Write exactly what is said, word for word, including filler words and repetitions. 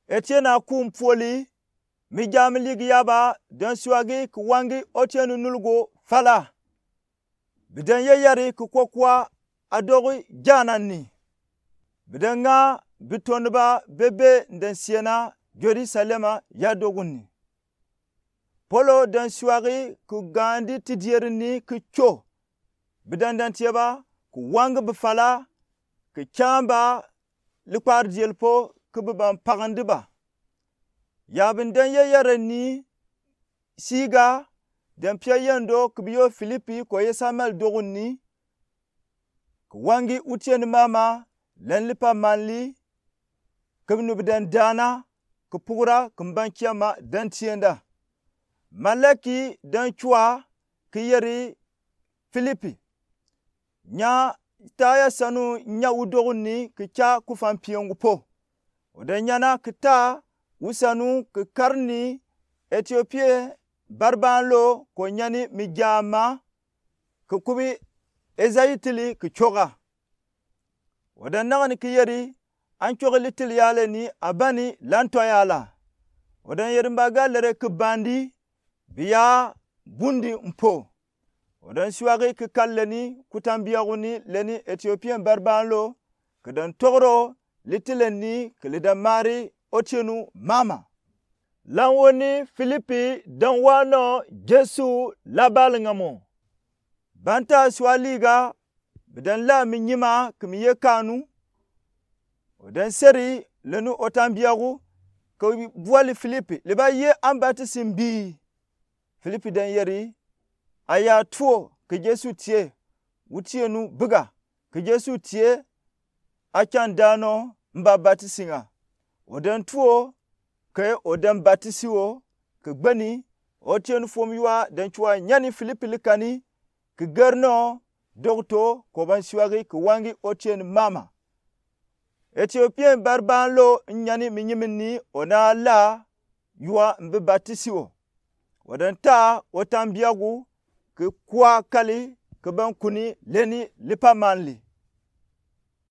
Etiena ku mpuoli, mi jaa mi ligi yaba, den suagi ki wangi otienu nulgo fala. Bi den yeyeri ki kwakwa adogi janan ni. Bi den ŋaa bi tondu ba bebee n den siena Jerusalema ya dogun ni. Polo den suagi ki gaandi tidieri ni ki co. Bi den dantie ba ki wangi bi fala, ki caamba likpari diel po ki bi ban pagandi ba. Ya bi den yeyere ni siiga, den pie yendo ki bi yo Filipi ko ye Samuel dogun ni, ki wangi otieni mama, lɛni lipa manli, ki bi nu bi den daana, ki pugura, ki mbankiama den tienda. Malaki den cua ki yeri Filipi: Nyataa ya sanu nya u dogun ni ki ca kufa mpie ŋu po. O den nyana ki taa u sanu ki kari ni Etiopia baribaan lo ko nyani mi jaama ki kubi eza yitili ki coga. O den nagani ki yeri: An cogi litili yale ni abani lantɔ yala. O den yeri: Mbaga lere ki bandi, bi ya bundi mpo. O den suagi ki kari leni kutan biagu ni lɛni Etiopia baribaan lo, ki den togro litili ni ki lida mari otienu mama. Lanwo ni Filipi den wa nɔ Yesu labali ŋa mo. Banta sua liga, bi den la mi nyima ki mi ye kanu. O den seri lɛnu otan biagu ki buali Filipi: Liba ye an batisi mbii? Filipi den yeri: Aya tuo ki Yesu tie, otienu biga ki Yesu tie, a can daa nɔ mba batisi ŋa. O den tuo ke o den batisi o, ki gbeni otienu fom yua den cua nyani Filipi likani, ki geri nɔ dɔkutɔ ko ban suagi ki wangi otieni mama. Etiopia baribaan lo n nyani mi nyimi ni, o na la yua mbi batisi o. O den taa otan biagu ki kua kali ki ban kuni lɛni lipa manli.